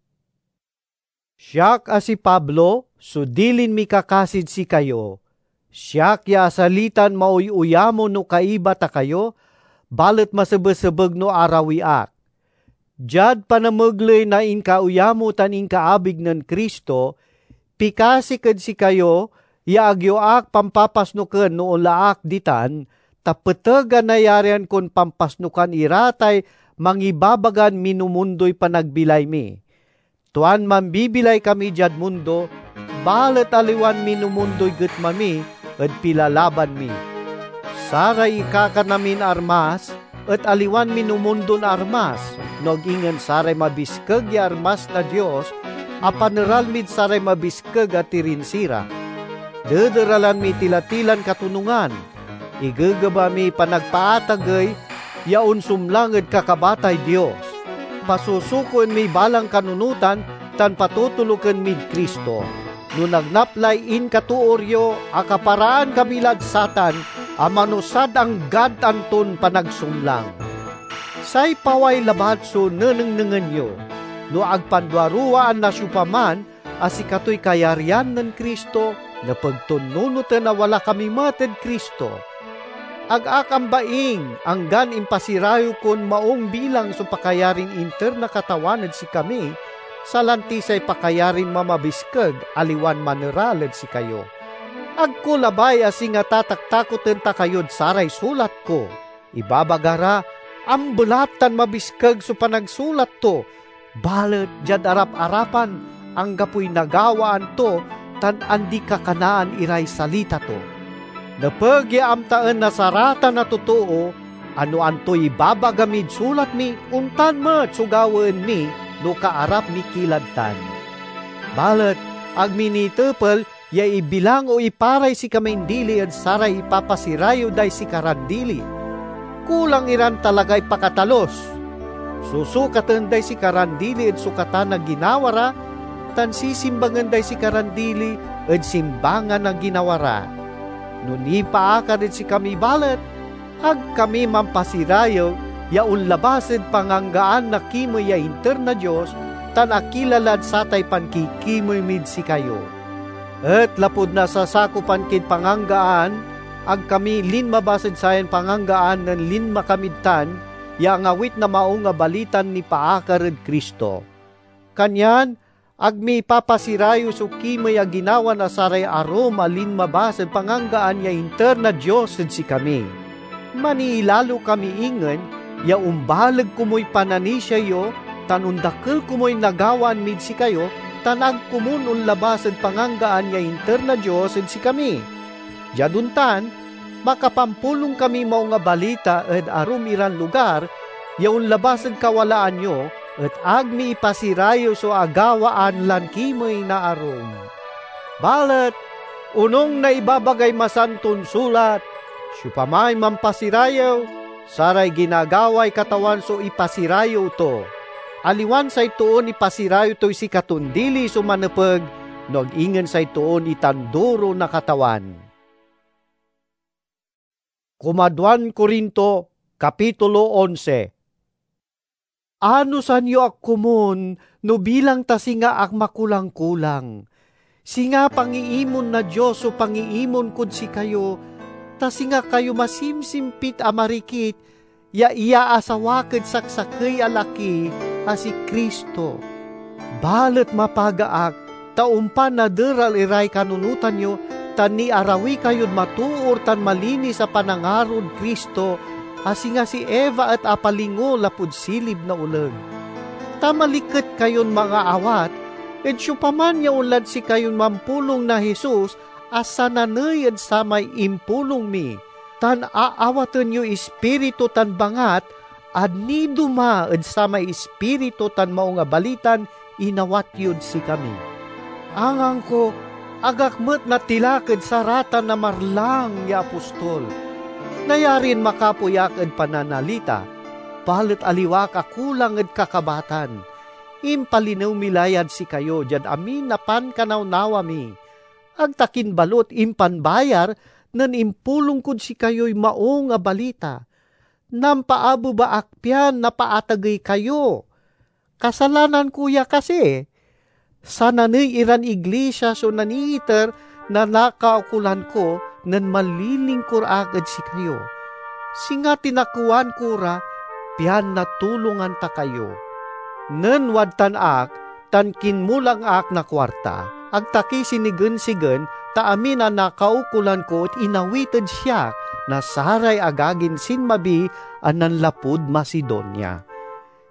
Siak a si Pablo so dilin mikakasid sikayo. Siak ya asalitan maoy-oyamo no kaiba ta kayo, balet masebesebeg no arawi ak. Diad panamegley na inkaoyamo tan inkaabig nen Cristo, pikasik ed sikayo ya ag yo ak pampapasnoken no onla ak ditan, ta peteg a nayarian kon pampasnokan ira tay mangibabagan minumundoy panagbilay mi. Tuan mambibilay kami diad mundo, balet aliwan minumundoy getma mi ed pilalaban mi. Saray ikakana min armas et aliwan minumundon armas, no ag ingen saray mabiskeg ya armas na Dios a paneral mid saray mabiskeg a tirinsi ra. Dederalan mi tila-tilan katonungan, igegeba miy panagpaatagey ya onsumlang ed kakabatay Dios. Pasusukoen miy balang kanunotan tan patotoloken mid Cristo. No nagnap lay inkatoor yo, akaparaan kami lad satan a manusad anggad anton panagsumlang. Say paway labat so nenengnengen yo. No ag panduaruwaan na siopaman a sikatoy kayaryan nen Cristo, nepeg ton nunoten a wala kami met ed Cristo. Ag ak ambaing, anggan impasirayew kon maung bilang so pakayarin inter na Katawan ed sikami, salanti say pakayarin mamabiskeg, aliwan maneral ed sikayo. Ag ko labay a singa tataktakoten ta kayod saray sulat ko. Ibabaga ra, ambelat tan mabiskeg so panagsulat to, balet diad arap-arapan, anggapoy nagawaan to tan andi-kakanaan iray salita to. Nepeg ya amtaen na saratan a totoo a no antoy ibabaga mid sulat mi, ontan met so gawaen mi no kaarap mi ki lad tan. Balet ag mi nitepel ya ibilang o iparay sikamin dili ed saray ipapasirayew day sikaran dili. Kulang iran talagay pakatalus. Susukaten day sikaran dili ed sukatan na ginawa ra, tan sisimbangen day sikaran dili ed simbangan a ginawa ra. No nipaakar ed sikami balet, ag kami mampasirayew ya onlabas ed panganggaan na kimey ya inter na Dios tan akila lad satay pankikimey mid sikayo. Et lapud nasasakopan kid panganggaan, ag kami linmabas ed sayan panganggaan nen linma kamid tan ya angawit na Maung a Balitan nipaakar ed Cristo. Kanyan ag mi ipapasirayew so kimey a ginawa na saray arum a linmabas ed panganggaan ya inter na Dios ed sikami. Maniilalo kami ingen ya ombaleg komuy pananisia yo tan ondakel komuy nagawaan mid sikayo, tan ag komon onlabas ed panganggaan ya inter na Dios ed sikami. Diad ontan, makapampulong kamiy Maung a Balita ed arum iran lugar ya onlabas ed kawalaan yo, et ag mi ipasirayew so agawaan lan kimey na arum. Balet onung na ibabagay Masanton Sulat, "Siopamay mampasirayew, saray ginagaway Katawan so ipasirayew to." Aliwan say toon ipasirayew toy sikaton dili so manepeg, no ag ingen say toon itanduro na Katawan. Kumaduan Corinto, Kapitulo onse. Anosan yo ak komun no bilang ta singa ak makulang-kulang. Singa pangiimon na Dios so pangiimon kod sikayo, ta singa kayo masimsimpit a marikit ya iyaasawak ed saksakey a laki a si Cristo. Balet mapaga ak, ta ompan naderal iray kanunotan yo, tan niarawi kayod matoor tan malinis a panangarod Cristo, a singa si Eva et apalingo lapud silib na oleg. Ta maliket kayon mangaawat, ed siopaman ya onlad sikayon mampulong na Jesus a sananey ed samay impulong mi, tan aawaten yoy Ispiritu tan bangat a nidoma ed samay Ispiritu tan Maung a Balitan inawat yod sikami. Angangko, ag ak met natilak ed saratan a marlang ya apostol. Nayarin makapoy ak ed pananalita, balet aliwa ak a kulang ed kakabatan. Impalinew mi la yad sikayo diad amin a pankanawnawa mi. Ag ta kin balut impanbayar nen impulong kod sikayoy Maung a Balita. Nampaabeba ak pian napaatagey kayo. Kasalanan ko ya kasi? Sananey iran iglisia so naniiter na nakaukolan ko nen manlilingkur ak ed sikayo. Singa tinakewan ko ra pian natulongan ta kayo. Nen wadtan ak, tan kinmulang ak na kuarta, ag ta ki sinigensigen, ta amin a nakaukolan ko et inawit ed siak na saray agagin sinmabi a nanlapud Macedonia.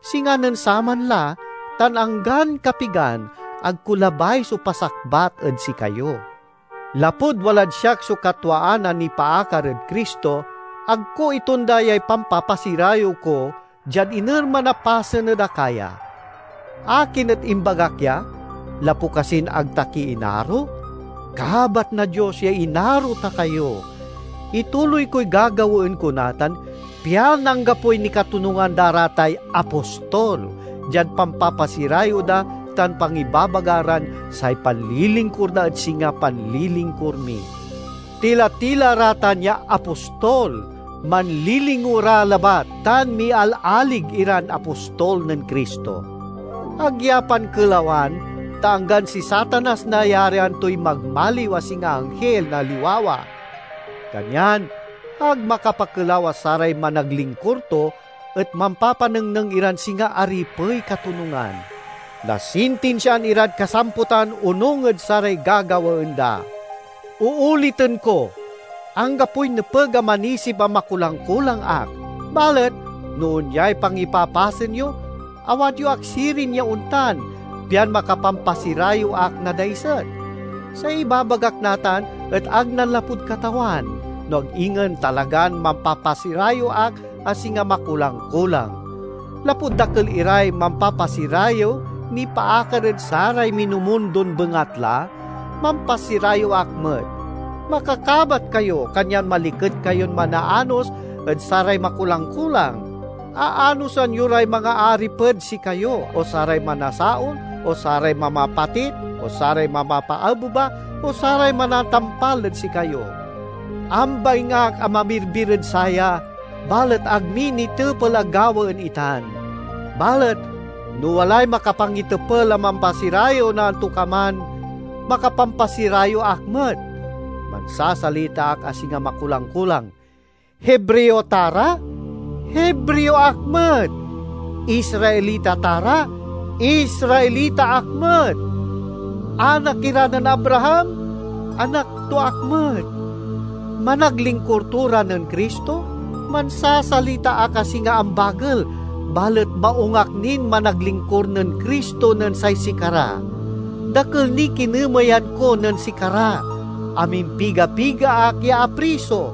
Singa nen saman la, tan anggan kapigan, ag ko labay so pasakbat ed sikayo. Lapud walad siak so katwaan a nipaakar ed Cristo, ag ko itonda yay pampapasirayew ko diad inerman a pasen ed Acaya. Akin et imbagak ya? Lapu kasin ag ta ki inaro? Kabat na Dios ya inaro ta kayo. Ituloy koy gagawaen ko natan, pian anggapoy nikatonungan da ra tay apostol, diad pampapasirayew da tan pangibabaga ran say panlilingkur da et singa panlilingkur mi. Tila-tila ra tan ya apostol, manlilingo ra labat tan mialalig iran apostol nen Cristo. Ag ya pankelawan, ta anggan si Satanas nayarian toy magmaliw a singa anghil na liwawa. Kanyan ag makapakelaw a saray managlingkur to et mampapanengneng iran singa aripey katonungan. Nasintinsiaan irad kasamputan onung ed saray gagawaen da. Ooliten ko, anggapoy nepeg a manisib a makulang-kulang ak. Balet no onyay pangipapasen yo, awat yo ak sirin ya ontan, pian makapampasirayew ak na daiset. Say ibabagak natan et ag nanlapud Katawan, no ag ingen talagan mampapasirayew ak a singa makulang-kulang. Lapud dakel iray mampapasirayew nipaakar ed saray minumundon bengatla, mampasirayew ak met. Makakabat kayo, kanyan maliket kayon manaanos ed saray makulang-kulang. Aanosan yo ray mangaariped sikayo, o saray manasaol, o saray mamapatit, o saray mamapaabeba, o saray manatampal ed sikayo. Ambaing ak a mamirbir ed saya, balet ag mi nitepel a gawaen itan. Balet no walay makapangitepel a mampasirayew na antokaman, makapampasirayew ak met. Mansasalita ak a singa makulang-kulang. Hebreo ta ra? Hebreo ak met. Israelita ta ra? Israelita ak met. Anak ira nen Abraham? Anak to ak met. Managlingkur to ra nen Cristo? Mansasalita ak a singa ambagel, balet maung ak nin managlingkur nen Cristo nen say sikara. Dakel niy kinemeyan ko nen sikara, amimpiga-piga ak ya apriso.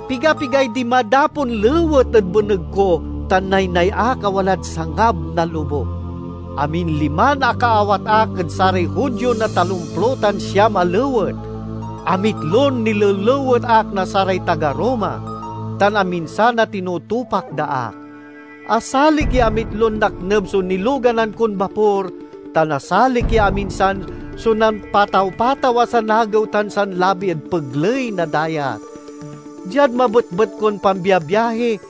Piga-pigay dimadapon lewet ed beneg ko tan naynay ak a walad sangab na lobuk. Amin liman akaawat ak ed saray Judio na talomplo tan siam a lewet. Amitlon nilelewet ak na saray taga Roma, tan aminsan a tinutupak da ak. Asalik ya amitlon nakneb so niloganan kon bapor, tan asalik ya aminsan so nanpataw-pataw a sanagew tan sanlabi ed pegley na dayat. Diad mabetbet kon pambiabiahi,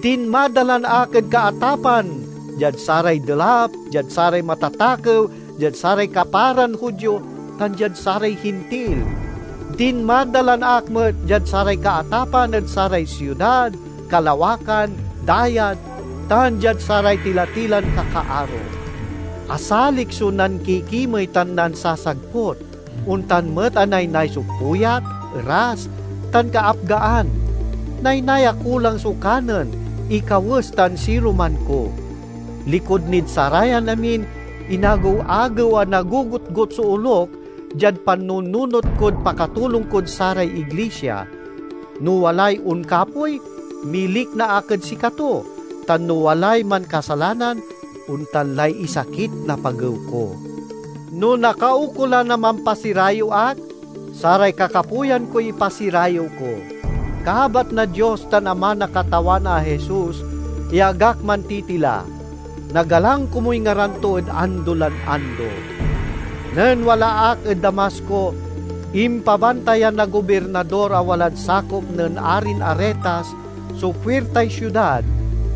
dinmadalan ak ed kaatapan, diad saray delap, diad saray matatakew, diad saray kaparan Judio, tan diad saray Hintil. Dinmadalan ak met diad saray kaatapan ed saray siudad, kalawakan, dayat, tan diad saray tilatilan kakaaro. Asalik so nankikimey tan nansasagput, ontan met a naynay so puyat, eras, tan kaapgaan. Naynay a kulang so kanen, ikawes tan siruman ko. Likud nid sarayan amin, inagew-agew a nagogotgot so olok diad panununot kod pakatulong kod saray iglisia. No walay onkapoy, milikna ak ed sikato, tan no walay mankasalanan, ontan lay isakit na pagew ko. No nakaukolan a mampasirayew ak, saray kakapoyan koy ipasirayew ko. Kabat na Dios tan Ama na Katawan a Jesus ya ag ak mantitila. Nagalang komuy ngaran to ed ando lan ando. Nen wala ak ed Damasco, impabantayan na gobirnador a walad sakop nen Arin Aretas so puirtay siudad,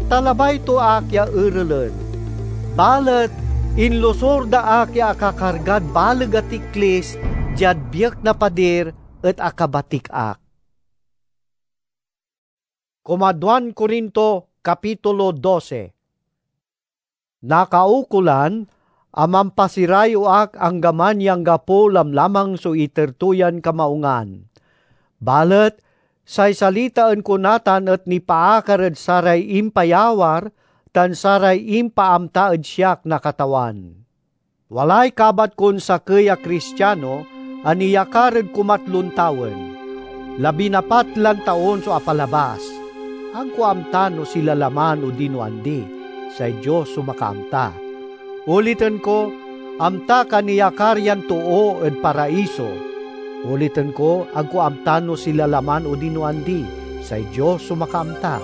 ta labay to ak ya erelen. Balet inlosur da ak ya akakargad baleg a tiklis diad biek na padir et akabatik ak. Kumaduan Corinto, Kapitulo dose. Nakaukolan a mampasirayew ak anggaman ya anggapo lamlamang so iter to yan kamaungan. Balet say salitaen ko natan et nipaakar ed saray impayawar tan saray impaamta ed siak na Katawan. Walay kabat kon sakey a Kristiano a niyakar ed kumatlon tawen. Labinapat lan taon so apalabas. Agko amta no sila laman odino andi, say Dios so makaamta. Uliten ko, amtak a niyakar yan too ed Paraiso. Uliten ko, agko amta no sila laman odino andi, say Dios so makaamta.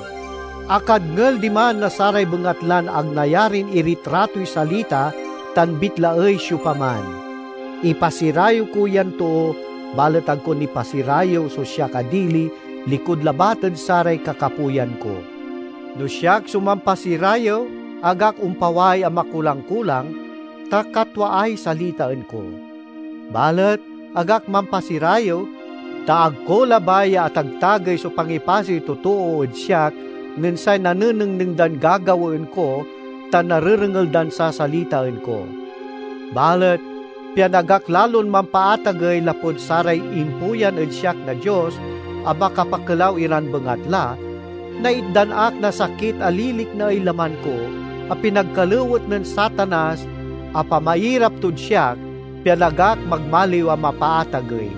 Akadngel diman na saray bengatlan ag nayarin iritratoy salita tan bitlaey siopaman. Ipasirayew ko yan too, balet agko nipasirayew so siak a dili likud labat ed saray kakapoyan ko. No siak so mampasirayew, ag ak ompaway a makulang-kulang, ta katwaay salitaen ko. Balet ag ak mampasirayew, ta ag ko labay ya atagtagey so pangipasiy totoo ed siak nen say nanenengneng dan gagawaen ko tan narerengel dan sasalitaen ko. Balet pian ag ak lalon mampaatagey lapud saray impuyan ed siak na Dios a makapakelaw iran bengatla, naitdan ak na sakit a liliknaey laman ko a pinagkalewet nen Satanas a pamairap tod siak, pian ag ak magmaliw a mapaatagey.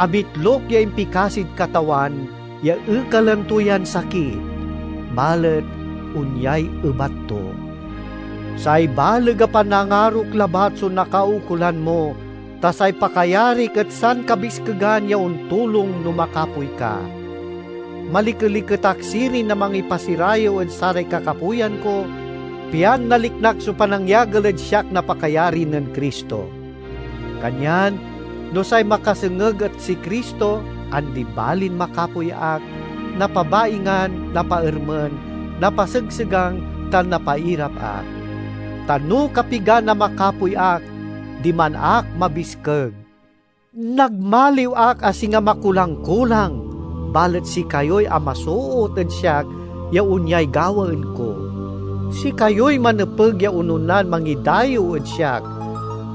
Abitlok ya impikasid Katawan ya ekalen to yan sakit, balet onyay ebat to. Say baleg a panangarok labat so nakaukolan mo, ta say pakayarik et sankabiskegan ya ontulong no makapoy ka. Malikeliket ak sirin a mangipasirayew ed saray kakapoyan ko, pian naliknak so panangyagel ed siak na pakayari nen Cristo. Kanyan, no say makasengeg et si Cristo, andi balin makapoy ak, napabaingan, napaermen, napasegsegang, tan napairap ak. Ta no kapigan a makapoy ak, diman ak mabiskeg. Nagmaliw ak a singa makulang-kulang, balet sikayoy amasoot ed siak ya onyay gawaen ko. Sikayoy manepeg ya ononan mangidayew ed siak,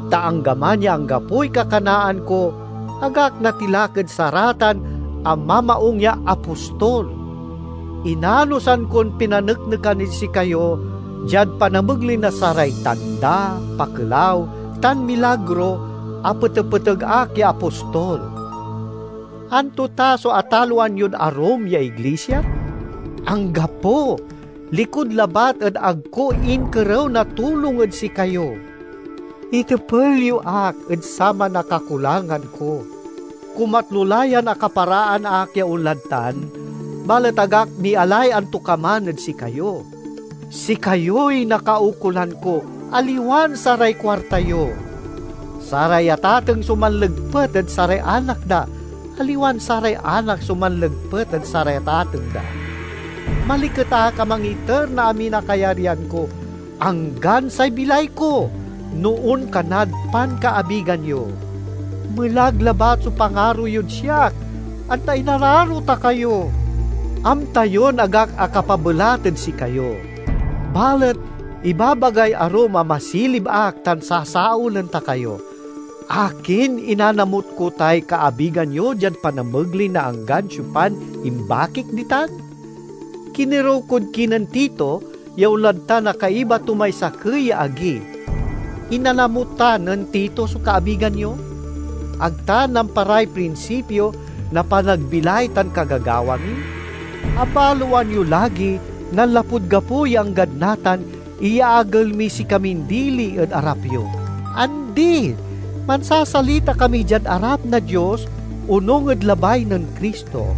ta anggaman ya anggapoy kakanaan ko, ag ak natilak ed saratan a mamaung ya apostol. Inanosan kon pinaneknekan ed sikayo diad panamegley na saray tanda, pakelaw, tan milagro a petepeteg ak ya apostol. Anto ta so ataloan yod arum ya iglisia? Anggapo, likud labat ed ag ko inkerew na tulong ed sikayo. Itepel yo ak ed saman a kakulangan ko. Kumatlo la yan akaparaan ak ya onlad tan, balet ag ak mialay antokaman ed sikayo. Sikayoy nakaukolan ko, aliwan saray kuarta yo. Saray atateng so manlegpet ed saray anak da, aliwan saray anak so manlegpet ed saray atateng da. Maliket ak a mangiter na amin a kayaryan ko, anggan say bilay ko, no onkanad pankaabigan yo. Melag labat so pangaro yod siak, anta inararo ta kayo. Amta yon ag ak akapabelat ed sikayo. Balet ibabagay arum a masilib ak tan sasaolen ta kayo. Akin inanamot ko tay kaabigan yo diad panamegley na anggan siopan imbakik ditan? Kinerew kod kinen Tito ya onlad tan a kaiba to may sakey ya agi. Inanamot ta nen Tito so kaabigan yo? Ag ta namparay prinsipio na panagbilay tan kagagawa mi? Abaloan yo lagi, nanlapud gapo ya anggad natan, iyaagel miy sikamin dili ed arap yo. Andi! Mansasalita kami diad arap na Dios, onung ed labay nen Cristo.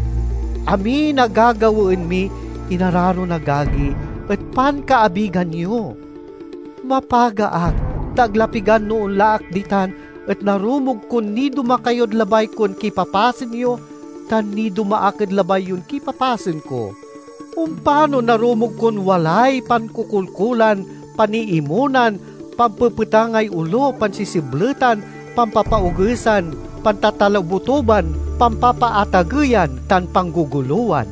Amin a gagawaen mi, inararon agagi, et pankaabigan yo. Mapaga ak, ta ag la pigan no onla ak ditan, et narumog kon niduma kayod labay kon kipapasen yo, tan niduma ak ed labay yon kipapasen ko. Ompano narumog kon walay pankukolkolan, paniimonan, pampepetangay olo, pansisibletan, pampapaogesan, pantatalabotoban, pampapaatageyan, tan panggogolowan.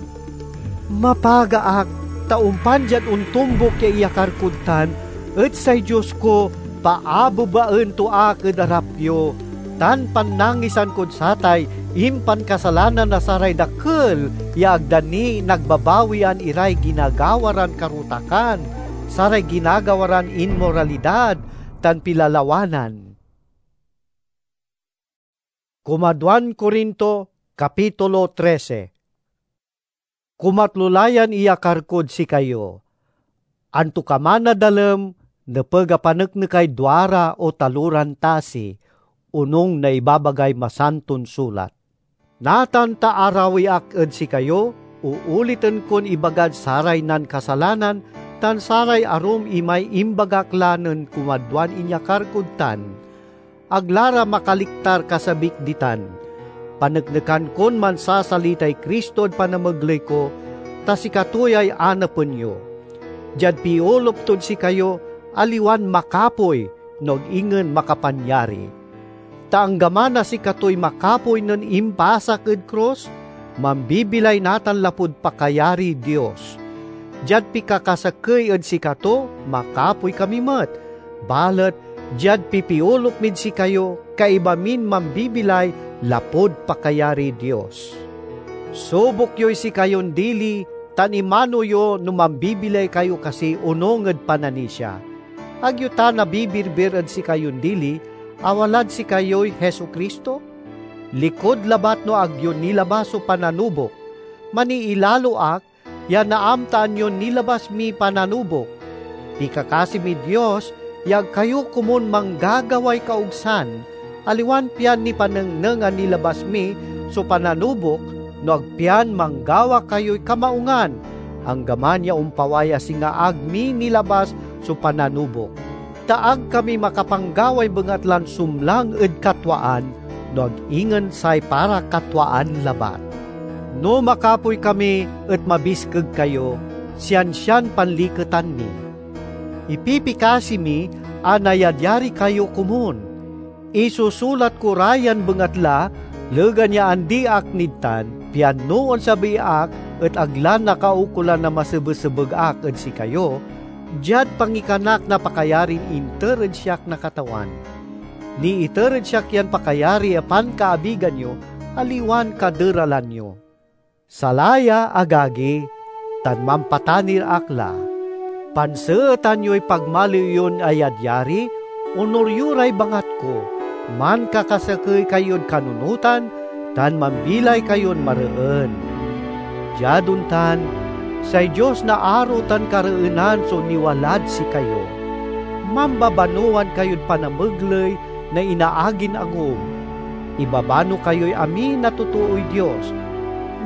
Mapaga ak, ta ompan diad ontombok ya iyakar kod tan, et say Dios ko, paabebaen to ak ed arap yo, tan pannangisan kod satay impankasalanan na saray dakel ya ag da ni nagbabawian iray ginagawa ran karutakan, saray ginagawa ran inmoralidad, tan pilalawanan. Kumaduan Corinto, Kapitulo trese. Kumatlo la yan iyakar kod sikayo. Antokaman a dalem, nepeg a paneknekay duara o taloran tasi, onung na ibabagay Masanton Sulat. Natan ta arawi ak ed sikayo, uuliten kon ibagad saray nankasalanan tan saray arum imay imbagak la nen kumadwan inyakar kod tan, ag la ra makaliktar kasabik ditan. Paneknekan kon mansasalitay Cristo ed panamegley ko, ta sikato yay anapen yo. Diad piolup tod sikayo, aliwan makapoy, no ag ingen makapanyari. Ta anggaman a sikatoy makapoy nen impasak ed krus, mambibilay natan lapud pakayariy Dios. Diad pikakasakey ed sikato, makapoy kami met, balet diad pipiolup mid sikayo, kaiba min mambibilay lapud pakayariy Dios. Subok yoy sikayon dili, tan imano yo no mambibilay kayo kasi onung ed pananisia. Ag yo ta nabibirbir ed sikayon dili a walad sikayoy Jesu-Cristo? Likud labat no ag yo nilabas so pananubok. Maniilalo ak ya naamtaan yon nilabas miy pananubok. Pikakasi miy Dios ya ag kayo komun manggagaway kaogsan, aliwan pian nipanengneng a nilabas mi so pananubok, no ag pian manggawa kayoy kamaungan, anggaman ya ompaway a singa ag mi nilabas so pananubok, ta ag kami makapanggaway bengatlan sumlang ed katwaan, no ag ingen say para katwaan labat. No makapoy kami et mabiskeg kayo, siansian panliketan mi. Ipipikasi mi a nayadyari kayo komun. Isusulat ko ra yan bengatla, legan ya andi ak nid tan, pian no onsabi ak et ag la nakaukolan a masebesebeg ak ed sikayo, diad pangikanak na pakayarin inter ed siak na Katawan. Niiter ed siak yan pakayari a pankaabigan yo, aliwan kaderalan yo. Salaya, agagi, tan mampatanir ak la. Panseetan yoy pagmaliw yon ayadyari, onur yo ray bangat ko, mankakasakey kayod kanunotan, tan mambilay kayon mareen. Diad ontan, say Dios na aro tan kareenan so niwalad sikayo. Mambabanoan kayod panamegley na inaagin agom. Ibabano kayoy amin a totooy Dios.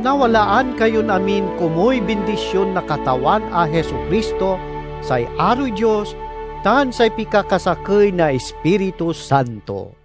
Nawalaan kayon amin komuy bindision na Katawan a Jesu-Cristo, say aroy Dios, tan say pikakasakey na Ispiritu Santo.